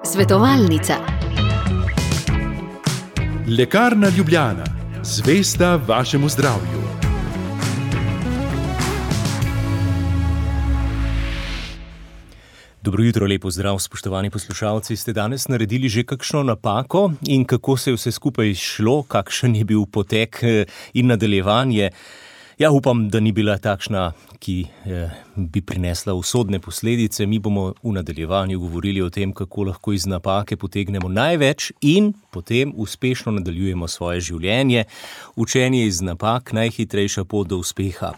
Svetovalnica. Lekarna Ljubljana, zvesta vašemu zdravju. Dobro jutro, lepo zdrav, spoštovani poslušalci. Ste danes naredili že kakšno napako in kako se je vse skupaj šlo, kakšen je bil potek in nadaljevanje? Ja, upam, da ni bila takšna, ki bi prinesla usodne posledice. Mi bomo v nadaljevanju govorili o tem, kako lahko iz napake potegnemo največ in potem uspešno nadaljujemo svoje življenje. Učenje iz napak, najhitrejša pot do uspeha.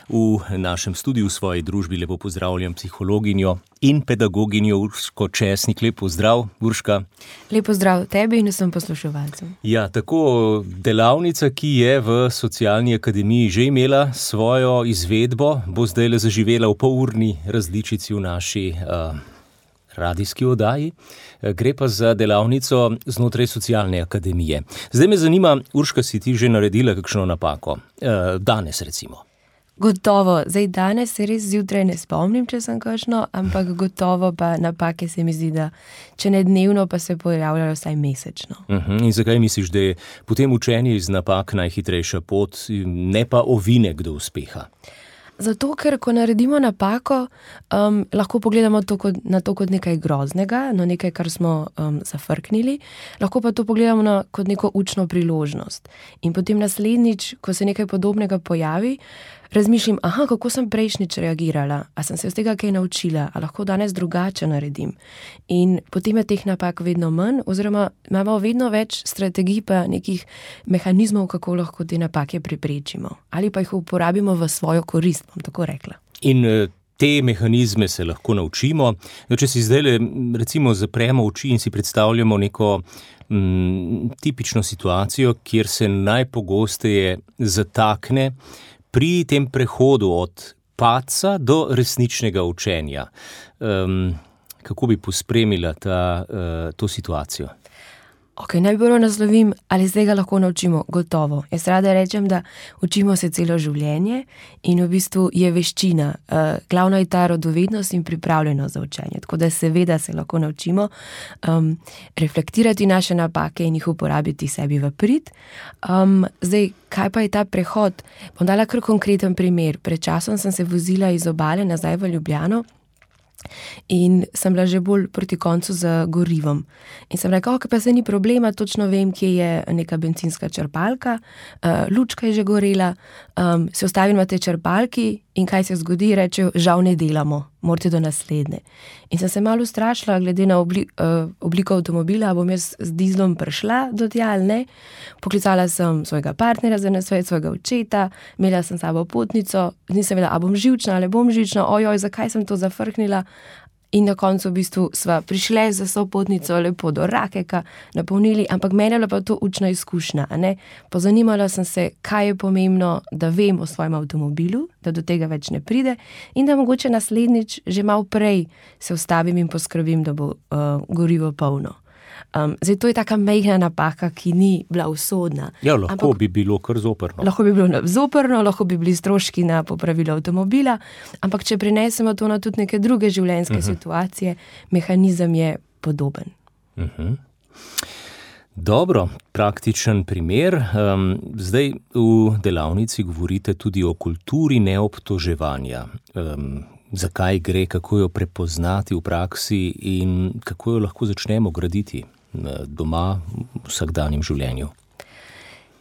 V našem studiu v svoji družbi lepo pozdravljam psihologinjo in pedagoginjo Urško Česnik. Lep pozdrav, Urška. Lep pozdrav tebi in vsem poslušalcem. Ja, tako delavnica, ki je v Socialni akademiji že imela svojo izvedbo, bo zdaj zaživela v polurni različici v naši radijski oddaji. Gre pa za delavnico znotraj Socialne akademije. Zdaj me zanima, Urška, si ti že naredila kakšno napako? Danes recimo. Gotovo, zdaj danes se res zjutraj ne spomnim, če sem kakšno, ampak gotovo pa napake se mi zdi, da če ne dnevno, pa se pojavljajo vsaj mesečno. In zakaj misliš, da je potem učenje iz napak najhitrejša pot, ne pa ovinek do uspeha? Zato, ker ko naredimo napako, lahko pogledamo na to kot nekaj groznega, no nekaj, kar smo zafrknili, lahko pa to pogledamo kot neko učno priložnost. In potem naslednjič, ko se nekaj podobnega pojavi, razmišljam, kako sem prejšnjič reagirala, a sem se iz tega kaj naučila, a lahko danes drugače naredim. In potem je teh napak vedno manj, oziroma imamo vedno več strategij pa nekih mehanizmov, kako lahko te napake preprečimo. Ali pa jih uporabimo v svojo korist, bom tako rekla. In te mehanizme se lahko naučimo. Če si zdaj recimo zapremo oči in si predstavljamo neko tipično situacijo, kjer se najpogosteje zatakne pri tem prehodu od padca do resničnega učenja. Kako bi pospremila to situacijo? Najbolj naslovim, ali se tega lahko naučimo? Gotovo. Jaz rada rečem, da učimo se celo življenje in v bistvu je veščina. Glavno je ta radovednost in pripravljenost za učenje. Tako da seveda se lahko naučimo reflektirati naše napake in jih uporabiti sebi v prid. Zdaj, kaj pa je ta prehod? Bom dala kar konkreten primer. Pred časom sem se vozila iz Obale nazaj v Ljubljano in sem bila že bolj proti koncu z gorivom. In sem rekla, pa se ni problema, točno vem, kje je neka bencinska črpalka, lučka je že gorela, se ustavim na tej črpalki in kaj se zgodi, rečejo, žal ne delamo, morate do naslednje. In sem se malo ustrašila, glede na obliko avtomobila, bom jaz z dizlom prišla do tja ali ne. Poklicala sem svojega partnerja za nasvet, svojega očeta, imela sem sabo potnico, nisem vedela, a bom živčna ali bom živčna, zakaj sem to zafrknila. In na koncu v bistvu sva prišli za sopotnico lepo do Rakeka, napolnili, ampak meni je bila pa to učna izkušnja. Pozanimala sem se, kaj je pomembno, da vem o svojem avtomobilu, da do tega več ne pride in da mogoče naslednjič že malo prej se ustavim in poskrbim, da bo gorivo polno. Zdaj, to je taka majhna napaka, ki ni bila usodna. Ja, lahko bi bilo kar zoprno. Lahko bi bilo zoprno, lahko bi bili stroški na popravilo avtomobila, ampak če prinesemo to na tudi neke druge življenjske situacije, mehanizem je podoben. Dobro, praktičen primer. Zdaj v delavnici govorite tudi o kulturi neobtoževanja. Zakaj gre, kako jo prepoznati v praksi in kako jo lahko začnemo graditi doma v vsakdanjem življenju?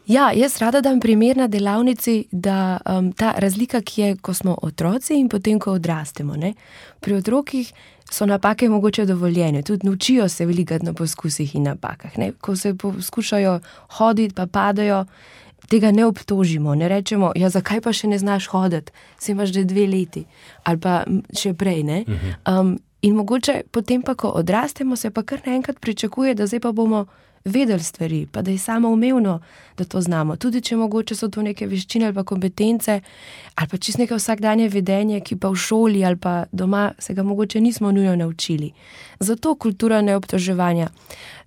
Ja, jaz rada dam primer na delavnici, da ta razlika, ki je, ko smo otroci in potem, ko odrastemo. Pri otrokih so napake mogoče dovoljene, tudi naučijo se velikokrat na poskusih in napakah. Ko se poskušajo hoditi, pa padajo, tega ne obtožimo, ne rečemo, zakaj pa še ne znaš hoditi, si imaš že 2 leti, ali pa še prej, in mogoče potem pa, ko odrastemo, se pa kar naenkrat pričakuje, da zdaj pa bomo vedeli stvari, pa da je samoumevno, da to znamo. Tudi če mogoče so to neke veščine ali pa kompetence, ali pa čisto neke vsakdanje vedenje, ki pa v šoli ali pa doma se ga mogoče nismo nujno naučili. Zato kultura neobtoževanja.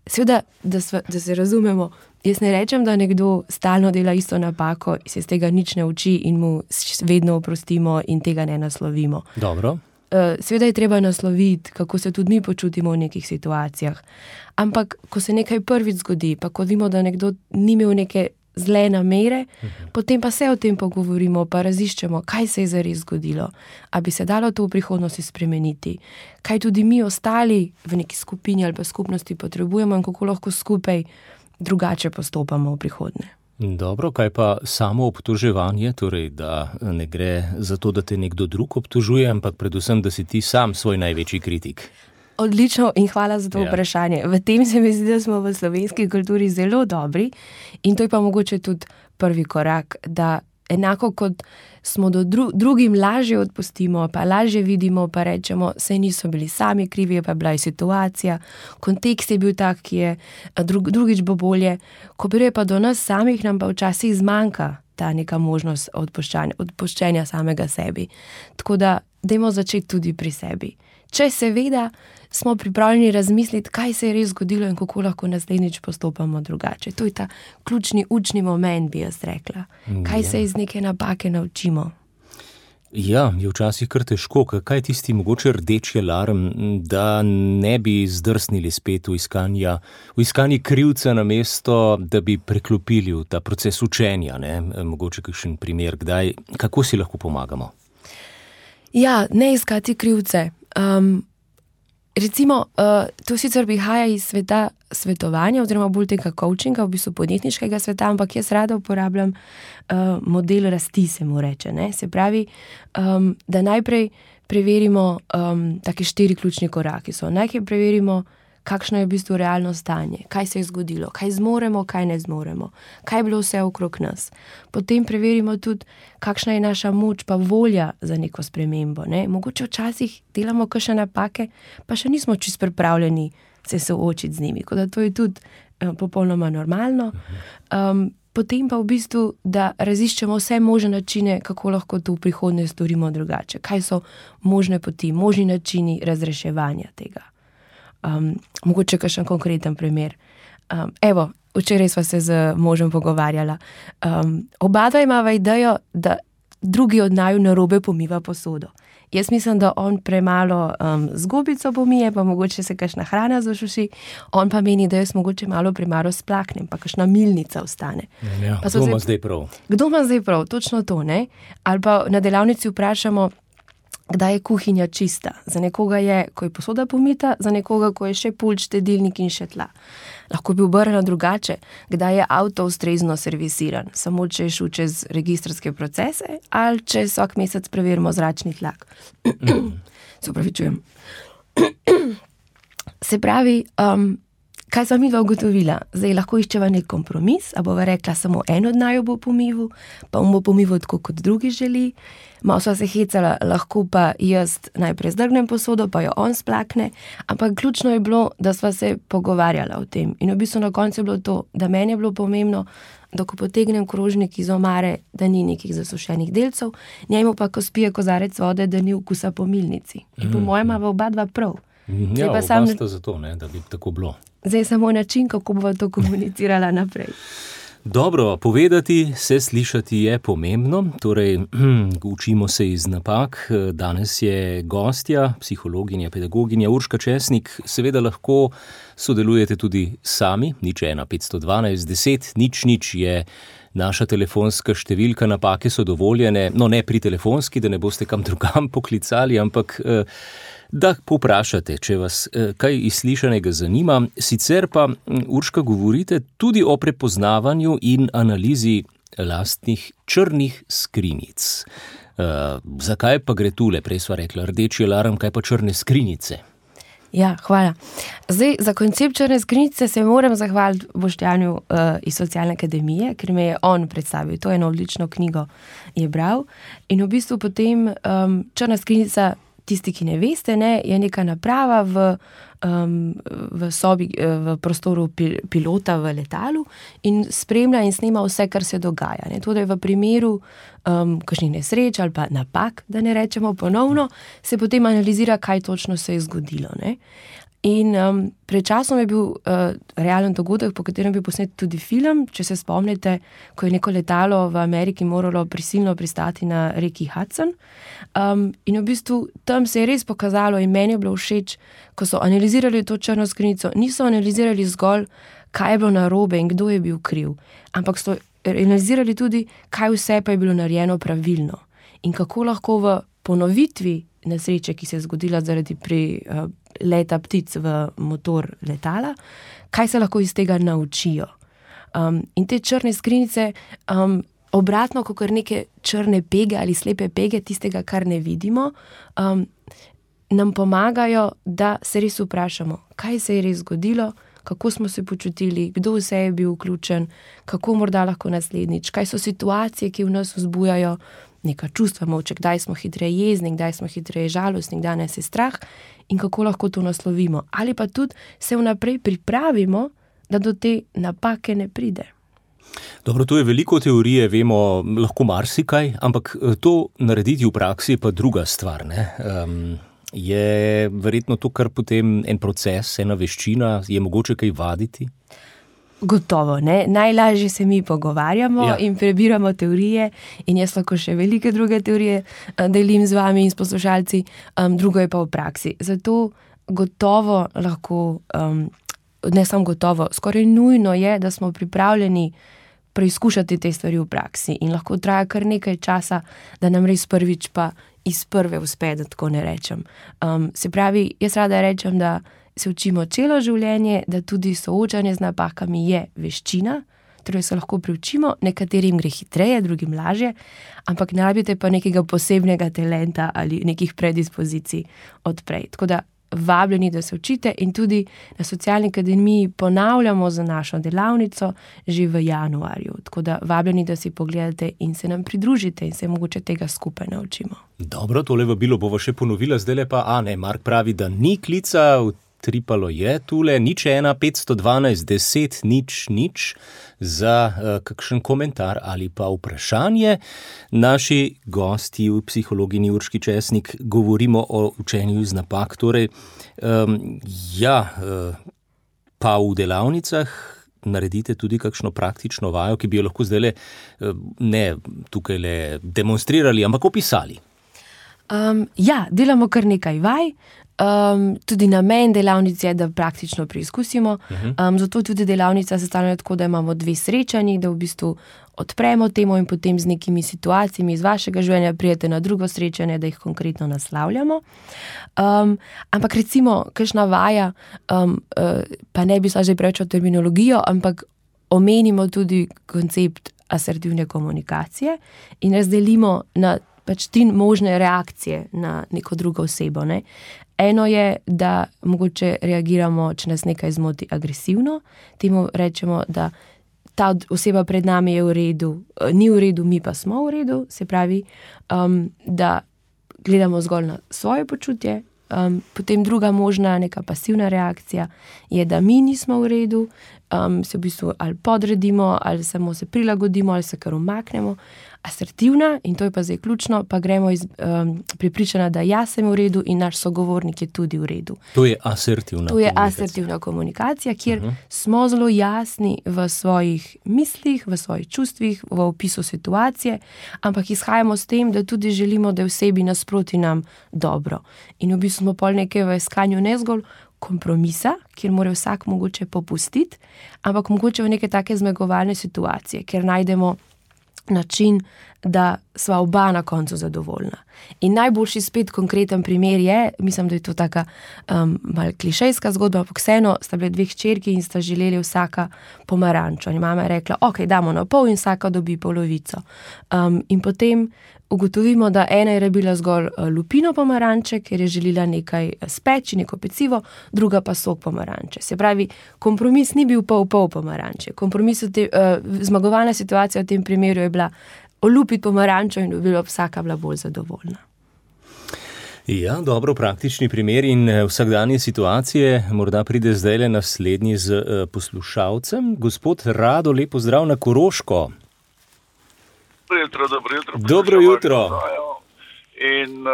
Seveda, da se razumemo, jaz ne rečem, da nekdo stalno dela isto napako, se iz tega nič ne uči in mu vedno oprostimo in tega ne naslovimo. Dobro. seveda je treba nasloviti, kako se tudi mi počutimo v nekih situacijah. Ampak, ko se nekaj prvič zgodi, pa ko vidimo, da nekdo ni imel neke zle namere, potem pa se o tem pogovorimo, pa raziščemo, kaj se je zares zgodilo, a bi se dalo to v prihodnosti spremeniti, kaj tudi mi ostali v neki skupini ali pa skupnosti potrebujemo in kako lahko skupaj drugače postopamo v prihodnje. Dobro, kaj pa samo obtoževanje, torej da ne gre za to, da te nekdo drug obtožuje, ampak predvsem, da si ti sam svoj največji kritik? Odlično in hvala za to vprašanje. V tem se mi zdi, da smo v slovenski kulturi zelo dobri in to je pa mogoče tudi prvi korak, da enako kot smo do drugim lažje odpustimo, pa lažje vidimo, pa rečemo, saj niso bili sami krivi, pa bila je situacija, kontekst je bil tak, ki je, drugič bo bolje. Ko pride pa do nas samih, nam pa včasih zmanjka ta neka možnost odpuščenja samega sebi. Tako da dajmo začeti tudi pri sebi. Če seveda smo pripravljeni razmisliti, kaj se je res zgodilo in kako lahko naslednjič postopamo drugače. To je ta ključni učni moment, bi jaz rekla. Kaj se iz neke napake naučimo? Ja, je včasih kar težko. Kaj je tisti mogoče rdeči alarm, da ne bi zdrsnili spet v iskanji krivca na mesto, da bi preklopili v ta proces učenja, ne? Mogoče kakšen primer, kdaj, kako si lahko pomagamo? Ja, ne iskati krivce. Recimo, to sicer prihaja iz sveta svetovanja oziroma bolj tega coachinga, v bistvu podjetniškega sveta, ampak jaz rada uporabljam model rasti, se mu reče. Ne? Se pravi, da najprej preverimo take 4 ključni koraki. Najprej preverimo, kakšno je v bistvu realno stanje, kaj se je zgodilo, kaj zmoremo, kaj ne zmoremo, kaj je bilo vse okrog nas. Potem preverimo tudi, kakšna je naša moč pa volja za neko spremembo. Ne? Mogoče včasih delamo kakšne napake, pa še nismo čisto pripravljeni se soočiti z njimi, kot da to je tudi popolnoma normalno. Potem pa v bistvu, da raziščemo vse možne načine, kako lahko to v prihodnje storimo drugače. Kaj so možne poti, možni načini razreševanja tega. Mogoče kakšen konkreten primer. Evo, včeraj sva se z možem pogovarjala. Oba dva imava idejo, da drugi od naju narobe pomiva posodo. Jaz mislim, da on premalo z gobico pomije, pa mogoče se kakšna hrana zašuši, on pa meni, da jaz mogoče malo premalo splaknem, pa kakšna milnica ostane. Ja, kdo ima zdaj prav? Kdo ima zdaj prav? Točno to, ne? Ali pa na delavnici vprašamo, kdaj je kuhinja čista. Za nekoga je, ko je posoda pomita, za nekoga, ko je še pult, štedilnik in še tla. Lahko bi obrnila drugače, kdaj je avto ustrezno servisiran, samo če je šel čez registrske procese ali če vsak mesec preverimo zračni tlak. Se opravičujem. Se pravi, kaj sva midva ugotovila? Zdaj lahko iščeva nek kompromis, a bova rekla, samo en od naju bo pomival, pa on bo pomival tako, kot drugi želi. Malo sva se hecala, lahko pa jaz najprej zdrgnem posodo, pa jo on splakne, ampak ključno je bilo, da sva se pogovarjala o tem. In v bistvu na koncu je bilo to, da meni je bilo pomembno, da ko potegnem krožnik iz omare, da ni nekih zasušenih delcev, njemu pa, ko spije kozarec vode, da ni okusa po milnici. In po mojem imava oba dva prav. Ja, oba sta zato, ne, da bi tako bilo. Zdaj samo način, kako bova to komunicirala naprej. Dobro, povedati se, slišati je pomembno, torej učimo se iz napak. Danes je gostja, psihologinja, pedagoginja Urška Česnik. Seveda lahko sodelujete tudi sami, 01 512 10 00 je naša telefonska številka, napake so dovoljene, no ne pri telefonski, da ne boste kam drugam poklicali, ampak da povprašate, če vas kaj iz slišanega zanima. Sicer pa, Urška, govorite tudi o prepoznavanju in analizi lastnih črnih skrinjic. Zakaj pa gre tule? Prej sva rekla rdeči alarm, kaj pa črne skrinjice? Ja, hvala. Zdaj, za koncept črne skrinjice se moram zahvaliti Boštjanu iz Socialne akademije, ker me je on predstavil. To je eno odlično knjigo je bral. In v bistvu potem črna skrinjica, tisti, ki ne veste, ne, je neka naprava v sobi, v prostoru pilota v letalu in spremlja in snema vse, kar se dogaja. Ne. Tudi v primeru kakšnih nesreč ali pa napak, da ne rečemo ponovno, se potem analizira, kaj točno se je zgodilo. Ne. In pred časom je bil realen dogodek, po katerem bi posnet tudi film, če se spomnite, ko je neko letalo v Ameriki moralo prisilno pristati na reki Hudson. In v bistvu tam se je res pokazalo in meni je bilo všeč, ko so analizirali to črno skrinjico, niso analizirali zgolj, kaj je bilo narobe in kdo je bil kriv, ampak so analizirali tudi, kaj vse pa je bilo narejeno pravilno in kako lahko v ponovitvi nesreče, ki se je zgodila zaradi leta ptic v motor letala, kaj se lahko iz tega naučijo. In te črne skrinjice, obratno, kot neke črne pege ali slepe pege, tistega, kar ne vidimo, nam pomagajo, da se res vprašamo, kaj se je res zgodilo, kako smo se počutili, kdo vse je bil vključen, kako morda lahko naslednjič, kaj so situacije, ki v nas vzbujajo neka čustva moče, kdaj smo hitreje jezni, kdaj smo hitreje žalostni, kdaj nas je strah in kako lahko to naslovimo. Ali pa tudi se vnaprej pripravimo, da do te napake ne pride. Dobro, to je veliko teorije, vemo lahko marsikaj, ampak to narediti v praksi je pa druga stvar, ne? Je verjetno to kar potem en proces, ena veščina, je mogoče kaj vaditi? Gotovo, ne. Najlažje se mi pogovarjamo in prebiramo teorije in jaz lahko še velike druge teorije delim z vami in s poslušalci, drugo je pa v praksi. Zato gotovo lahko, ne samo gotovo, skoraj nujno je, da smo pripravljeni preizkušati te stvari v praksi in lahko traja kar nekaj časa, da nam res prvič pa iz prve uspe, da tako ne rečem. Se pravi, jaz rada rečem, da se učimo celo življenje, da tudi soočanje z napakami je veščina, torej se lahko priučimo, nekaterim gre hitreje, drugim lažje, ampak ne rabite pa nekega posebnega talenta ali nekih predispozicij odprej. Tako da vabljeni, da se učite in tudi na Socialni akademiji ponavljamo za našo delavnico že v januarju. Tako da vabljeni, da si pogledate in se nam pridružite in se mogoče tega skupaj naučimo. Dobro, tole vabilo bova še ponovila, zdajle pa, Mark pravi, da ni klica, utripalo je tule, 01 512 10 0 za kakšen komentar ali pa vprašanje. Naši gosti v psihologini Urški Česnik govorimo o učenju iz napak, torej pa v delavnicah naredite tudi kakšno praktično vajo, ki bi jo lahko zdajle ne tukajle demonstrirali, ampak opisali. Delamo kar nekaj vaj. Tudi namen delavnic je, da praktično preizkusimo. Zato tudi delavnica sestavljena tako, da imamo 2 srečanji, da v bistvu odpremo temo in potem z nekimi situacijami iz vašega življenja pridete na drugo srečanje, da jih konkretno naslavljamo. Ampak recimo, kakšna vaja, pa ne bi šla že preveč o terminologijo, ampak omenimo tudi koncept asertivne komunikacije in razdelimo na 3 možne reakcije na neko drugo osebo, ne. Eno je, da mogoče reagiramo, če nas nekaj zmoti, agresivno. Temu rečemo, da ta oseba pred nami je v redu, ni v redu, mi pa smo v redu. Se pravi, da gledamo zgolj na svoje počutje. Potem druga možna, neka pasivna reakcija je, da mi nismo v redu, se v bistvu ali podredimo, ali samo se prilagodimo, ali se kar umaknemo. Asertivna, in to je pa zdaj ključno, pa gremo iz prepričanja, da jaz sem v redu in naš sogovornik je tudi v redu. To je asertivna komunikacija. To je asertivna komunikacija, kjer smo zelo jasni v svojih mislih, v svojih čustvih, v opisu situacije, ampak izhajamo s tem, da tudi želimo, da je osebi nasproti nam dobro. In v bistvu smo pol nekaj v iskanju ne zgolj kompromisa, kjer mora vsak mogoče popustiti, ampak mogoče v neke take zmagovalne situacije, kjer najdemo način, da sva oba na koncu zadovoljna. In najboljši spet konkreten primer je, mislim, da je to taka malo klišejska zgodba, ampak vseeno sta bile 2 hčerki in sta želeli vsaka pomarančo. In mama je rekla, ok, damo na pol in vsaka dobi polovico. In potem ugotovimo, da ena je rabila zgolj lupino pomaranče, ker je želela nekaj speči, neko pecivo, druga pa sok pomaranče. Se pravi, kompromis ni bil pol pomaranče. Kompromis, zmagovalna situacija v tem primeru je bila olupiti pomarančo in bi vsaka bila bolj zadovoljna. Ja, dobro, praktični primer in vsakdanje situacije. Morda pride zdajle naslednji z poslušalcem. Gospod Rado, lep pozdrav na Koroško. Dobro jutro. In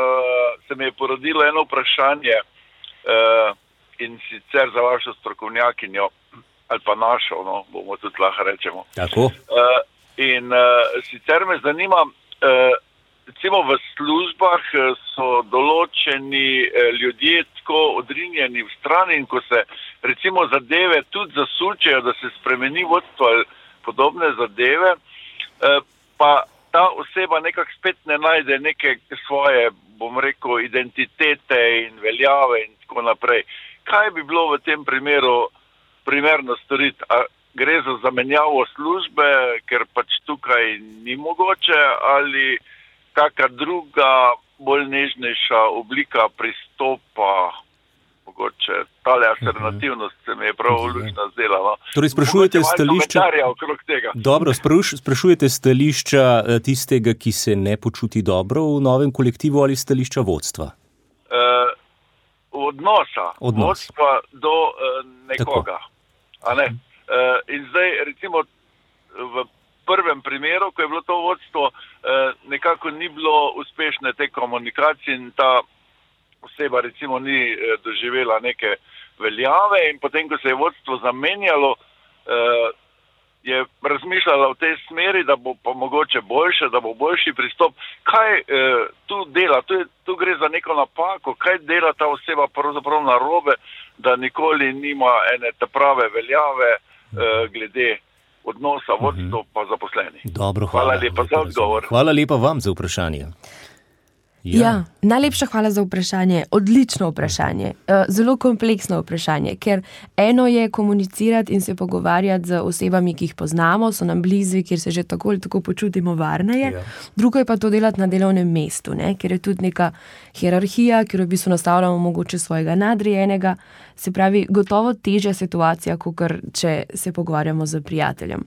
se mi je porodilo eno vprašanje. in sicer za vašo strokovnjakinjo, ali pa našo, no, bomo tudi lahko rečemo. Tako. Sicer me zanima, recimo v službah so določeni ljudje tako odrinjeni v strani in ko se recimo zadeve tudi zasučejo, da se spremeni vodstvo ali podobne zadeve, pa ta oseba nekako spet ne najde neke svoje, bom rekel, identitete in veljave in tako naprej. Kaj bi bilo v tem primerno storiti? A gre za zamenjavo službe, ker pač tukaj ni mogoče, ali kakšna druga, bolj nežnejša oblika pristopa, mogoče tale alternativnost se mi je prav lučna zdela. No. Torej sprašujete stališča... okrog tega. Dobro, sprašujete stališča tistega, ki se ne počuti dobro v novem kolektivu ali stališča vodstva? Odnosa. Vodstva do nekoga. A ne? In zdaj recimo v prvem primeru, ko je bilo to vodstvo, nekako ni bilo uspešne te komunikacije in ta oseba recimo ni doživela neke veljave in potem, ko se je vodstvo zamenjalo, je razmišljala v tej smeri, da bo pa mogoče boljše, da bo boljši pristop. Kaj tu dela? Tu gre za neko napako. Kaj dela ta oseba pravzaprav narobe, da nikoli nima ene te prave veljave glede odnosa vodstvo pa zaposleni? Dobro, hvala lepa za odgovor. Hvala lepa vam za vprašanje. Ja, najlepša hvala za vprašanje. Odlično vprašanje. Zelo kompleksno vprašanje, ker eno je komunicirati in se pogovarjati z osebami, ki jih poznamo, so nam blizu, kjer se že tako ali tako počutimo varneje. Ja. Drugo je pa to delati na delovnem mestu, ne? Ker je tudi neka hierarhija, kjer v bistvu nastavljamo mogoče svojega nadrejenega. Se pravi, gotovo težja situacija, kakor če se pogovarjamo z prijateljem.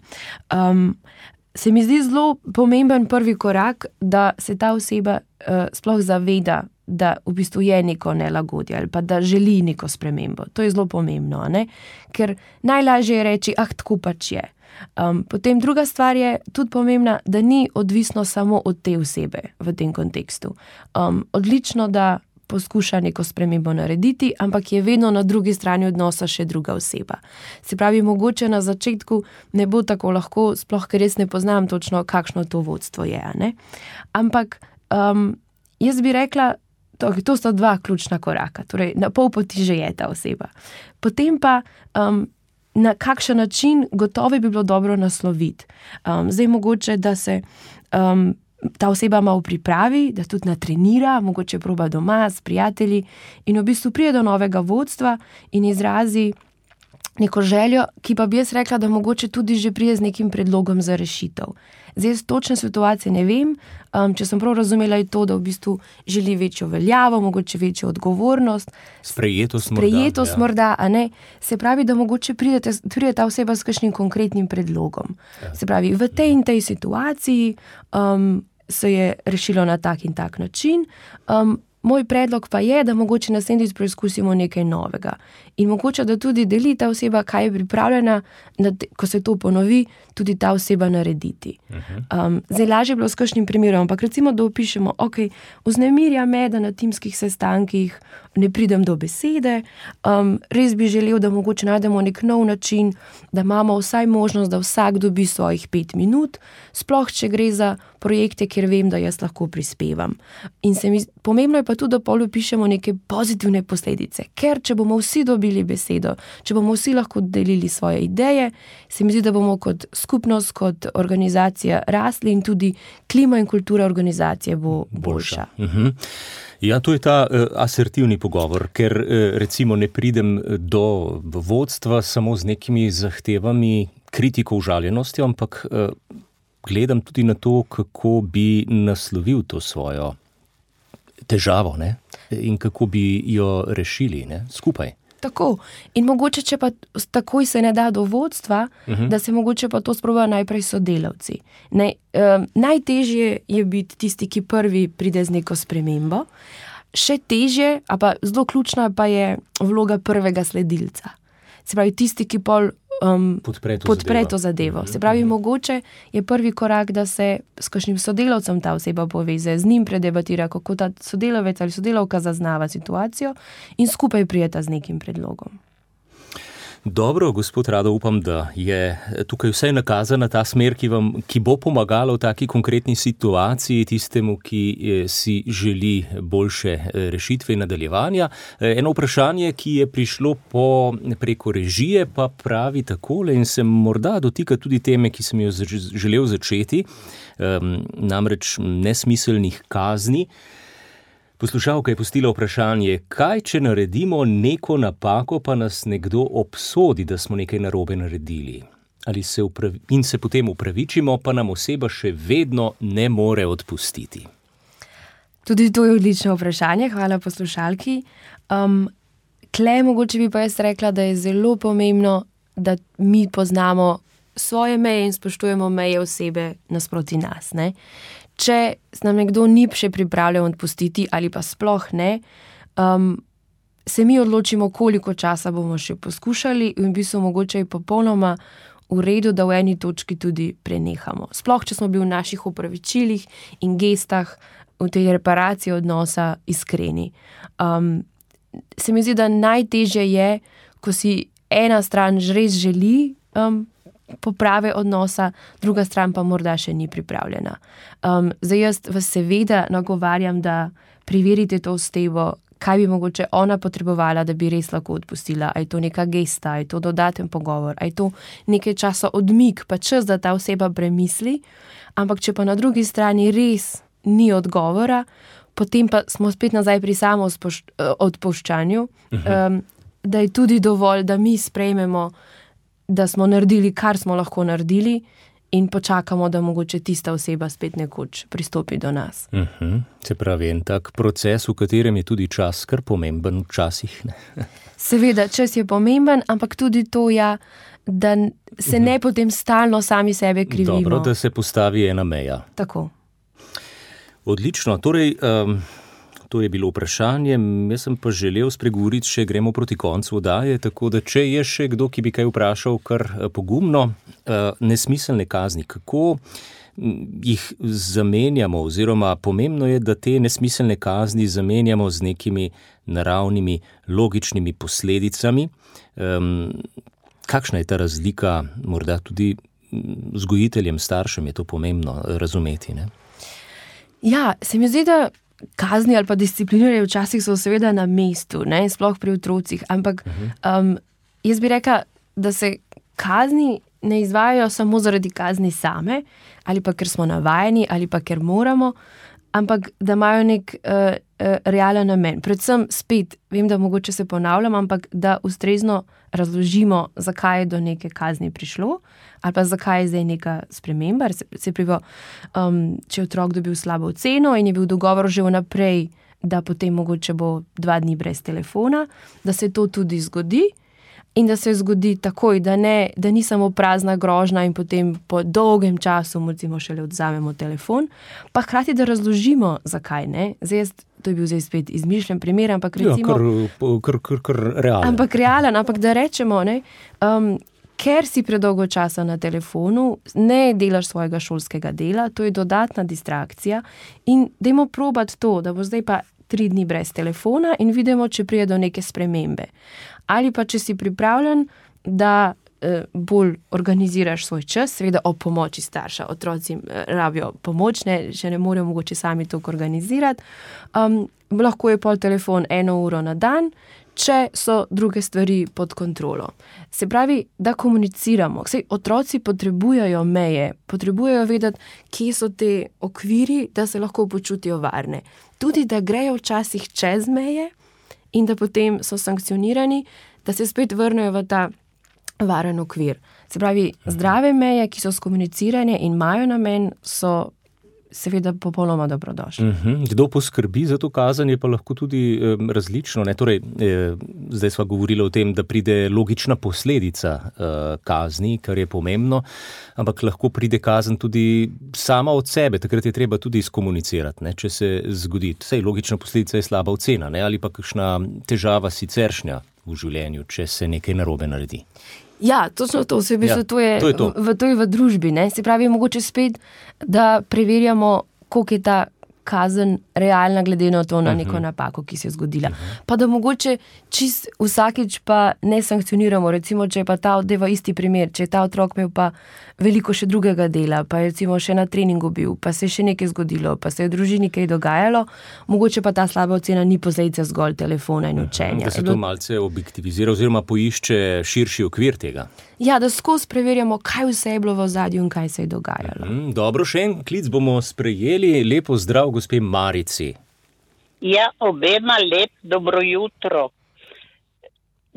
Se mi zdi zelo pomemben prvi korak, da se ta oseba sploh zaveda, da v bistvu je neko nelagodje ali pa da želi neko spremembo. To je zelo pomembno, ne? Ker najlažje je reči, tako pač je. Potem druga stvar je tudi pomembna, da ni odvisno samo od te osebe v tem kontekstu. Odlično, da poskuša neko spremembo narediti, ampak je vedno na drugi strani odnosa še druga oseba. Se pravi, mogoče na začetku ne bo tako lahko, sploh ker res ne poznam točno, kakšno to vodstvo je, ne? Ampak jaz bi rekla, to sta dva ključna koraka, torej na pol poti že je ta oseba. Potem pa na kakšen način gotovo bi bilo dobro nasloviti. Zdaj mogoče, da se ta oseba malo pripravi, da tudi natrenira, mogoče proba doma s prijatelji in v bistvu pride do novega vodstva in izrazi neko željo, ki pa bi jaz rekla, da mogoče tudi že pride z nekim predlogom za rešitev. Zdaj z točne situacije ne vem, če sem prav razumela je to, da v bistvu želi večjo veljavo, mogoče večjo odgovornost. Sprejetost morda, a ne? Se pravi, da mogoče pride ta oseba s kakšnim konkretnim predlogom. Ja. Se pravi, v tej in tej situaciji se je rešilo na tak in tak način. Moj predlog pa je, da mogoče naslednjič preizkusimo nekaj novega. In mogoče, da tudi deli ta oseba, kaj je pripravljena, ko se to ponovi, tudi ta oseba narediti. Zdaj lažje je bilo s kakšnim primerom, ampak recimo, da opišemo, vznemirja me, da na timskih sestankih ne pridem do besede, res bi želel, da mogoče najdemo nek nov način, da imamo vsaj možnost, da vsak dobi svojih 5 minut, sploh če gre za projekte, kjer vem, da jaz lahko prispevam. In pomembno je pa tudi, da pol opišemo neke pozitivne posledice, ker če bomo vsi dobili besedo, če bomo vsi lahko delili svoje ideje, se mi zdi, da bomo kot skupnost, kot organizacija rasli in tudi klima in kultura organizacije bo boljša. Ja, to je ta asertivni pogovor, ker recimo ne pridem do vodstva samo z nekimi zahtevami, kritiko, užaljenostjo, ampak gledam tudi na to, kako bi naslovil to svojo težavo, ne? In kako bi jo rešili, ne? Skupaj. Tako. In mogoče, če pa takoj se ne da do vodstva, da se mogoče pa to sprobajo najprej sodelavci. Najtežje je biti tisti, ki prvi pride z neko spremembo. Še težje, a pa zelo ključna pa je vloga prvega sledilca. Se pravi, tisti, ki pol podpre to zadevo. Se pravi, mogoče je prvi korak, da se s kakšnim sodelavcem ta oseba poveze, z njim predebatira, kako ta sodelavec ali sodelavka zaznava situacijo in skupaj prijeta z nekim predlogom. Dobro, gospod Rado, upam, da je tukaj vsaj nakazana ta smer, ki bo pomagala v taki konkretni situaciji tistemu, ki si želi boljše rešitve in nadaljevanja. Eno vprašanje, ki je prišlo preko režije, pa pravi takole in se morda dotika tudi teme, ki sem jo želel začeti, namreč nesmiselnih kazni. Poslušalka je pustila vprašanje, kaj če naredimo neko napako, pa nas nekdo obsodi, da smo nekaj narobe naredili. Ali in se potem upravičimo, pa nam oseba še vedno ne more odpustiti. Tudi to je odlično vprašanje, hvala poslušalki. Mogoče bi pa jaz rekla, da je zelo pomembno, da mi poznamo svoje meje in spoštujemo meje osebe nasproti nas, ne? Če nam nekdo ni še pripravljen odpustiti ali pa sploh ne, se mi odločimo, koliko časa bomo še poskušali in v bistvu mogoče je popolnoma v redu, da v eni točki tudi prenehamo. Sploh, če smo bili v naših opravičilih in gestah v tej reparaciji odnosa iskreni. Se mi zdi, da najtežje je, ko si ena stran res želi poprave odnosa, druga stran pa morda še ni pripravljena. Zdaj jaz vas seveda nagovarjam, da preverite to osebo, kaj bi mogoče ona potrebovala, da bi res lahko odpustila. A je to neka gesta, a je to dodaten pogovor, a je to nekaj časa odmik, pa čas, da ta oseba premisli. Ampak če pa na drugi strani res ni odgovora, potem pa smo spet nazaj pri samo odpuščanju, da je tudi dovolj, da mi sprejmemo, da smo naredili, kar smo lahko naredili in počakamo, da mogoče tista oseba spet nekoč pristopi do nas. Se pravi, en tak proces, v katerem je tudi čas kar pomemben včasih. Seveda, čas je pomemben, ampak tudi to da se ne potem stalno sami sebe krivimo. Dobro, da se postavi ena meja. Tako. Odlično, torej to je bilo vprašanje, jaz sem pa želel spregovoriti, še gremo proti koncu oddaje, tako da če je še kdo, ki bi kaj vprašal kar pogumno, nesmiselne kazni, kako jih zamenjamo, oziroma pomembno je, da te nesmiselne kazni zamenjamo z nekimi naravnimi, logičnimi posledicami. Kakšna je ta razlika, morda tudi vzgojiteljem, staršem je to pomembno razumeti, ne? Ja, se mi zdi, da kazni ali pa disciplinarje včasih so seveda na mestu, ne, sploh pri otrocih, ampak jaz bi rekla, da se kazni ne izvajajo samo zaradi kazni same, ali pa ker smo navajeni, ali pa ker moramo, ampak da imajo nek realen namen. Predvsem spet, vem, da mogoče se ponavljam, ampak da ustrezno razložimo, zakaj je do neke kazni prišlo, ali pa zakaj je zdaj neka sprememba. Se pravi, če je otrok dobil slabo oceno in je bil dogovor že vnaprej, da potem mogoče bo 2 dni brez telefona, da se to tudi zgodi in da se zgodi takoj, da ni samo prazna grožnja in potem po dolgem času recimo šele odzamemo telefon, pa hkrati, da razložimo, zakaj ne. To je bil zdaj spet izmišljen primer, ampak recimo... Kar realen. Ampak realen, ampak da rečemo, ne, ker si predolgo časa na telefonu, ne delaš svojega šolskega dela, to je dodatna distrakcija in dajmo probati to, da bo zdaj pa 3 dni brez telefona in vidimo, če prije do neke spremembe. Ali pa, če si pripravljen, da bolj organiziraš svoj čas, seveda ob pomoči starša. Otroci rabijo pomoč, še ne morejo mogoče sami to organizirati. Lahko je pol telefon 1 uro na dan, če so druge stvari pod kontrolo. Se pravi, da komuniciramo. Saj otroci potrebujejo meje, potrebujejo vedeti, kje so te okviri, da se lahko počutijo varne. Tudi, da grejo včasih čez meje in da potem so sankcionirani, da se spet vrnejo v ta varen okvir. Se pravi, zdrave meje, ki so skomunicirane in imajo namen, so seveda popolnoma dobrodošli. Kdo poskrbi za to kazen, je pa lahko tudi različno. Ne? Torej, zdaj sva govorila o tem, da pride logična posledica kazni, kar je pomembno, ampak lahko pride kazen tudi sama od sebe. Takrat je treba tudi skomunicirati, ne? Če se zgodi. Sej logična posledica je slaba ocena, ne? Ali pa kakšna težava siceršnja v življenju, če se nekaj narobe naredi. Ja, točno to, to je to. V družbi. Ne? Se pravi, mogoče spet, da preverjamo, koliko je ta kazen realna glede na to, na neko napako, ki se je zgodila. Pa da mogoče čist vsakič pa ne sankcioniramo, recimo, če je pa ta deva isti primer, če je ta otrok imel pa veliko še drugega dela, pa je recimo še na treningu bil, pa se je še nekaj zgodilo, pa se je v družini kaj dogajalo, mogoče pa ta slaba ocena ni posledica zgolj telefona in učenja. Da se to malce objektivizira oziroma poišče širši okvir tega. Ja, da skozi preverjamo, kaj vse je bilo v ozadju in kaj se je dogajalo. Dobro, še en klic bomo sprejeli. Lepo zdrav, gospe Marici. Ja, obema lep dobro jutro.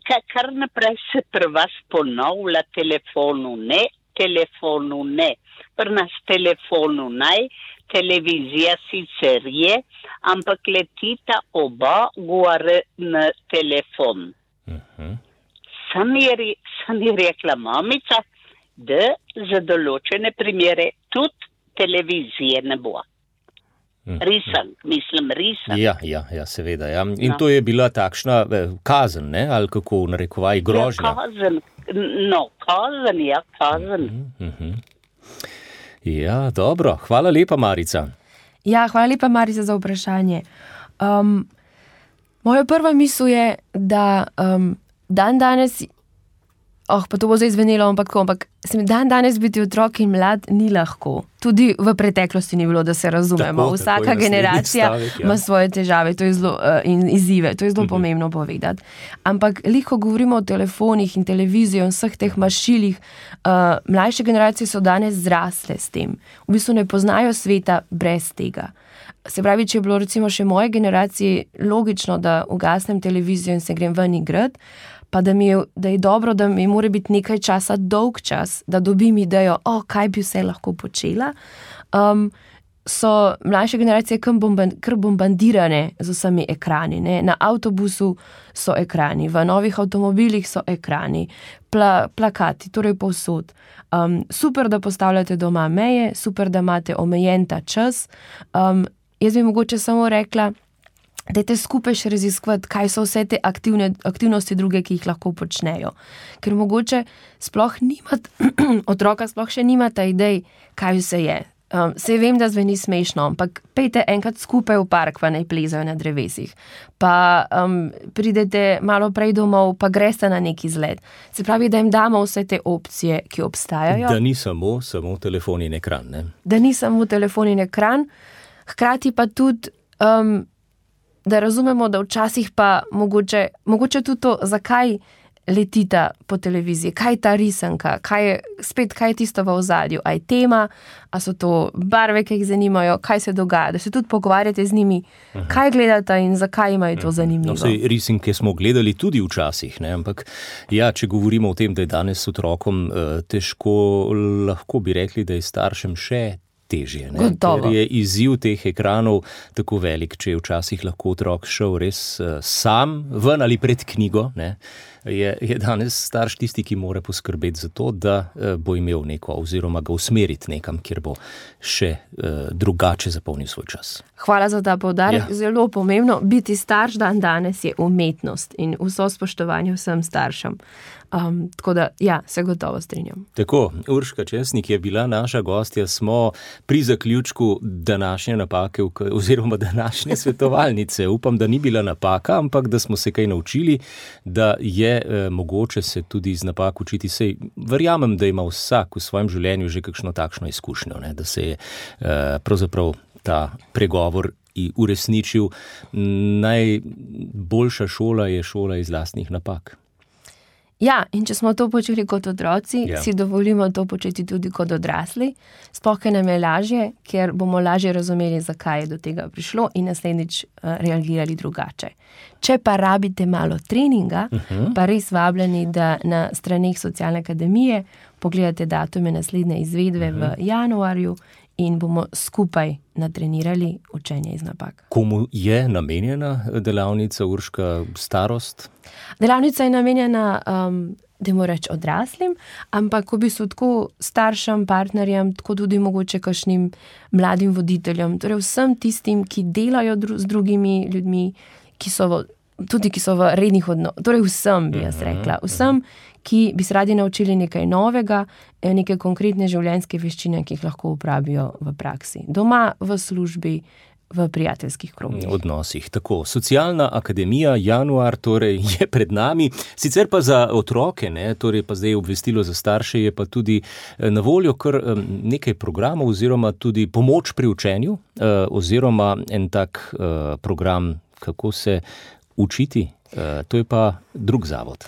Kar naprej se pri vas ponavlja telefonu ne. Pri nas telefonu naj, televizija sicer je, ampak letita oba gore na telefon. Sam je rekla mamica, da za določene primere tudi televizije ne bo. Risank. Ja, seveda. Ja. In to je bila takšna kazen, ne? Ali kako narekovaj grožnja? Ja, kazen. Ja, dobro. Hvala lepa, Marica. Ja, hvala lepa, Marica, za vprašanje. Moja prva misel je, da danes, pa to bo zdaj zvenelo, ampak dan danes biti otrok in mlad ni lahko. Tudi v preteklosti ni bilo, da se razumemo. Vsaka generacija ima svoje težave in izzive. To je zelo pomembno povedati. Ampak ko govorimo o telefonih in televiziji in vseh teh mašilih, mlajše generacije so danes zrasle s tem. V bistvu ne poznajo sveta brez tega. Se pravi, če je bilo recimo še moje generaciji logično, da ugasnem televizijo in se grem ven igrat, pa da je dobro, da mi mora biti nekaj časa, dolg čas, da dobim idejo, kaj bi vse lahko počela, so mlajše generacije kar bombardirane z vsemi ekrani. Ne? Na avtobusu so ekrani, v novih avtomobilih so ekrani, plakati, torej povsod. Super, da postavljate doma meje, super, da imate omejen ta čas. Jaz bi mogoče samo rekla, dajte skupaj še raziskovati, kaj so vse te aktivnosti druge, ki jih lahko počnejo. Ker mogoče otroka sploh še nimata idej, kaj vse je. Saj vem, da zveni smešno, ampak pejte enkrat skupaj v park, pa naj plezajo na drevesih. Pa pridete malo prej domov, pa greste na neki izlet. Se pravi, da jim damo vse te opcije, ki obstajajo. Da ni samo telefon in ekran, ne? Da ni samo telefon in ekran, hkrati pa tudi da razumemo, da včasih pa mogoče tudi to, zakaj letita po televiziji, kaj je ta risanka, kaj je tisto v ozadju, a je tema, a so to barve, ki jih zanimajo, kaj se dogaja, da se tudi pogovarjate z njimi, kaj gledata in zakaj imajo to zanimivo. Risanke smo gledali tudi včasih, ne? Ampak ja, če govorimo o tem, da je danes otrokom težko, lahko bi rekli, da je staršem še težje, ne? Ker je izziv teh ekranov tako velik, če je včasih lahko otrok šel res sam ven ali pred knjigo, ne? Je danes starš tisti, ki mora poskrbeti za to, da bo imel neko oziroma ga usmeriti nekam, kjer bo še drugače zapolnil svoj čas. Hvala za ta poudarek. Ja. Zelo pomembno. Biti starš danes je umetnost in vso spoštovanje vsem staršem. Tako da, ja, se gotovo strinjam. Tako, Urška Česnik je bila naša gostja, smo pri zaključku današnje napake oziroma današnje svetovalnice. Upam, da ni bila napaka, ampak da smo se kaj naučili, da je mogoče se tudi iz napak učiti. Sej verjamem, da ima vsak v svojem življenju že kakšno takšno izkušnjo, ne? Da se je pravzaprav ta pregovor uresničil. Najboljša šola je šola iz lastnih napak. Ja, in če smo to počeli kot otroci, si dovolimo to početi tudi kot odrasli. Sploh nam je lažje, ker bomo lažje razumeli, zakaj je do tega prišlo in naslednjič reagirali drugače. Če pa rabite malo treninga, pa res vabljeni, da na straneh Socialne akademije pogledate datume naslednje izvedbe v januarju in bomo skupaj natrenirali učenje iz napak. Komu je namenjena delavnica, Urška, starost? Delavnica je namenjena, dajmo reči, odraslim, ampak v bistvu tako staršem, partnerjem, tako tudi mogoče kakšnim mladim voditeljem, torej vsem tistim, ki delajo z drugimi ljudmi, ki so tudi ki so v rednih odnosih, torej vsem bi jaz rekla, vsem, ki bi se radi naučili nekaj novega, neke konkretne življenjske veščine, ki jih lahko uporabijo v praksi. Doma, v službi, v prijateljskih krogih. Odnosih. Tako, Socialna akademija, januar torej je pred nami, sicer pa za otroke, torej pa zdaj obvestilo za starše, je pa tudi na voljo kar nekaj programov oziroma tudi pomoč pri učenju oziroma en tak program, kako se učiti, to je pa drug zavod.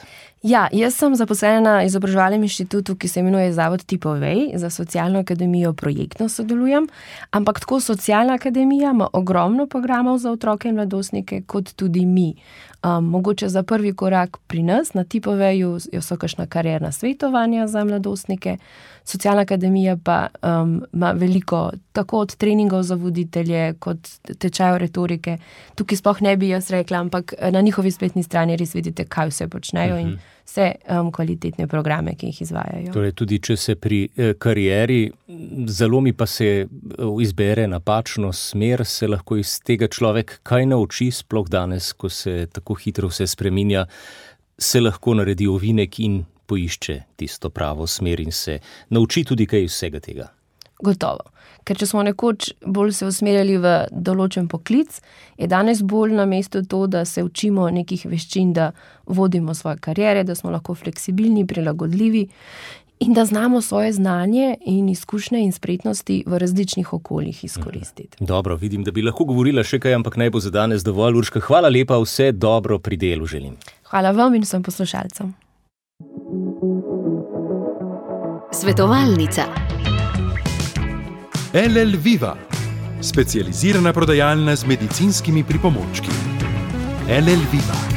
Ja, jaz sem zaposlena na izobraževalnem inštitutu, ki se imenuje Zavod Tipovej, za Socialno akademijo projektno sodelujem, ampak tako Socialna akademija ima ogromno programov za otroke in mladostnike, kot tudi mi. Mogoče za prvi korak pri nas na Tipoveju so kakšna karierna svetovanja za mladostnike, Socialna akademija pa ima veliko tako od treningov za voditelje, kot tečajev retorike. Tukaj sploh ne bi jaz rekla, ampak na njihovi spletni strani res vidite, kaj vse počnejo in vse kvalitetne programe, ki jih izvajajo. Torej tudi, če se pri karieri zalomi pa se izbere napačno smer, se lahko iz tega človek kaj nauči, sploh danes, ko se tako hitro vse spreminja, se lahko naredi ovinek in poišče tisto pravo smer in se nauči tudi kaj iz vsega tega. Gotovo. Ker če smo nekoč bolj se usmerjali v določen poklic, je danes bolj na mestu to, da se učimo nekih veščin, da vodimo svoje kariere, da smo lahko fleksibilni, prilagodljivi in da znamo svoje znanje in izkušnje in spretnosti v različnih okoljih izkoristiti. Dobro, vidim, da bi lahko govorila še kaj, ampak naj bo za danes dovolj. Urška, hvala lepa, vse dobro pri delu želim. Hvala vam in vsem poslušalcem. Svetovalnica. LL Viva, specializirana prodajalna z medicinskimi pripomočki. LL Viva.